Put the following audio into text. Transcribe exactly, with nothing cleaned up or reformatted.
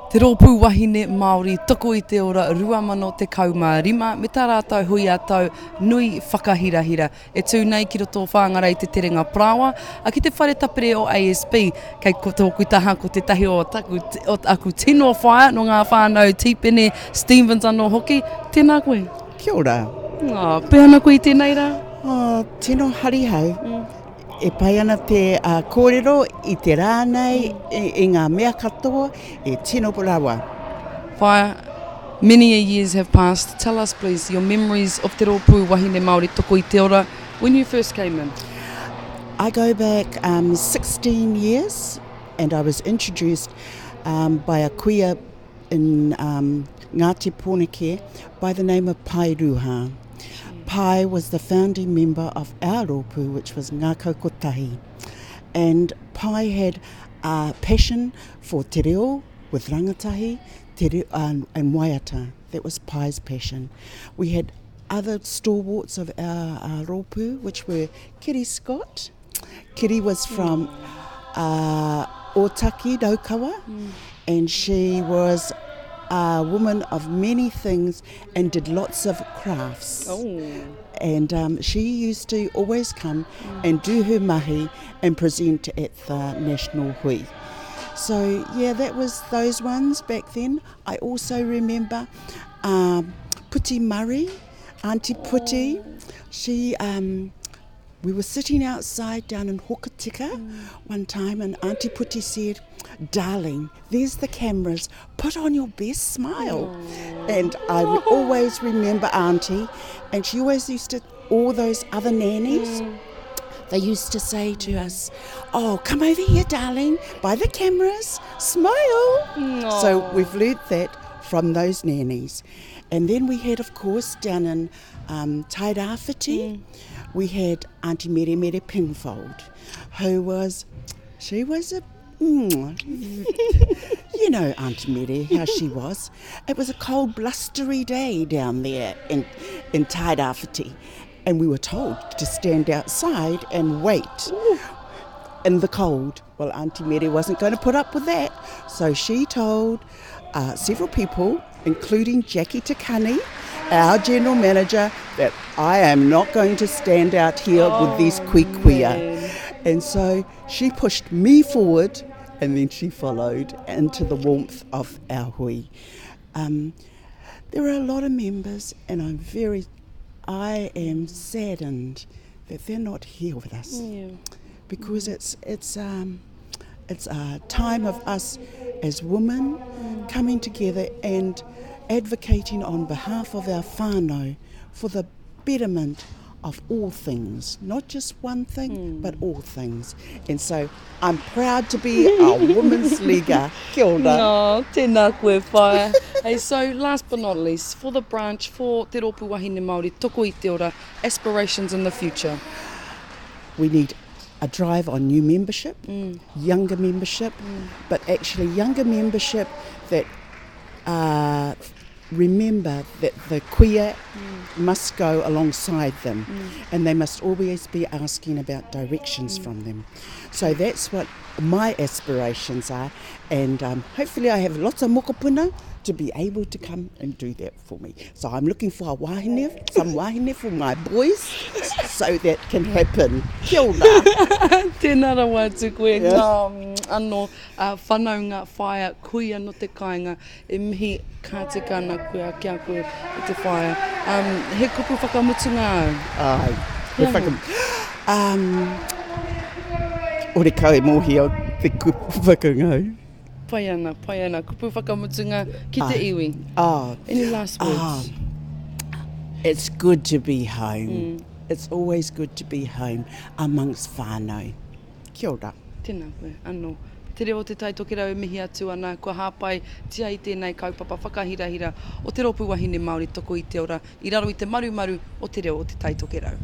Te Rōpū Wahine Māori Toko i te Ora rua mano tekau mā rima me tā rātou hui ā-tau nui whakahirahira e tū nei ki roto o Whāngarei te Terenga Parāoa a ki te whare tapere o A S B. Kei ko tōku taha ko tētahi o taku, o aku tino whaea nō ngā whānau Tīpene Stevens anō hoki. Tēnā koe. Kia ora. Oh, pēhea ana koe i tēnei rā? Oh, tino harihau. Mm. E pai ana te uh, kōrero i te rā nei, i, i ngā mea katoa, e tino rawa. Whaea, many a years have passed. Tell us please your memories of Te Rōpū Wahine Māori Toko i te Ora when you first came in. I go back um, sixteen years and I was introduced um, by a kuia in um, Ngāti Pōneke by the name of Pai Ruha. Pai was the founding member of our rōpū, which was Ngākau Kotahi. And Pai had a passion for te reo with rangatahi te reo, um, and waiata. That was Pai's passion. We had other stalwarts of our, our rōpū, which were Kiri Scott. Kiri was from uh, Otaki, Raukawa, mm. and she was a woman of many things and did lots of crafts. Oh. And um, she used to always come mm. and do her mahi and present at the National Hui. So yeah, that was those ones back then. I also remember um, Puti Murray, Auntie Puti. She, um, we were sitting outside down in Hokitika mm. one time, and Auntie Puti said, darling, there's the cameras, put on your best smile. Aww. And I re- always remember Auntie, and she always used to, all those other nannies, mm. they used to say to us, oh, come over here, darling, by the cameras, smile. Aww. So we've learnt that from those nannies. And then we had, of course, down in um, Tairāwhiti, mm. we had Auntie Mere Mere Pinfold, who was, she was a, mm, you know Auntie Mere, how she was. It was a cold, blustery day down there in, in Tairāwhiti, and we were told to stand outside and wait. Ooh. In the cold. Well, Auntie Mere wasn't gonna put up with that, so she told, uh, several people, including Jackie Takani, our general manager, that I am not going to stand out here oh, with these kui kuia. Man. And so she pushed me forward, and then she followed into the warmth of our hui. Um, there are a lot of members, and I'm very, I am saddened that they're not here with us. Yeah. Because it's, it's, um, it's a time of us as women mm. coming together and advocating on behalf of our whānau for the betterment of all things, not just one thing, mm. but all things. And so I'm proud to be a women's leaguer. Kia ora. No, tēnā koe, whaea. Hey, so last but not least, for the branch, for Te Rōpū Wahine Māori, Toko i te Ora, aspirations in the future. We need a drive on new membership, mm. younger membership, mm. but actually younger membership that, uh, remember that the kuia mm. must go alongside them mm. and they must always be asking about directions mm. from them. So that's what my aspirations are, and, um, hopefully I have lots of mokopuna to be able to come and do that for me. So I'm looking for a wahine, some wahine for my boys, so that can happen. Kia ora. Tēnā rawa atu koe. Yeah. Ngā, anō, uh, whanaunga, whaea, kuia no te kāinga, e mihi ka tika ana koe, kia koe e te whaea. Um, he kupu whakamutunga au. Ai, he Kia whakam-, um, ore kau e mōhio te kupu whakangau. Pai ana, pai ana. Kupu whakamutunga ki te Ah. iwi. Ah. Any last words? Ah. It's good to be home. Mm. It's always good to be home amongst whānau. Kia ora. Tēnā koe, anō. Te reo o te Tai Tokerau e mihi atu ana, kua hāpai tia i tēnei kaupapa whakahirahira o Te Rōpū Wahine Māori Toko i te Ora, i raro i te marumaru o te reo o te Tai Tokerau.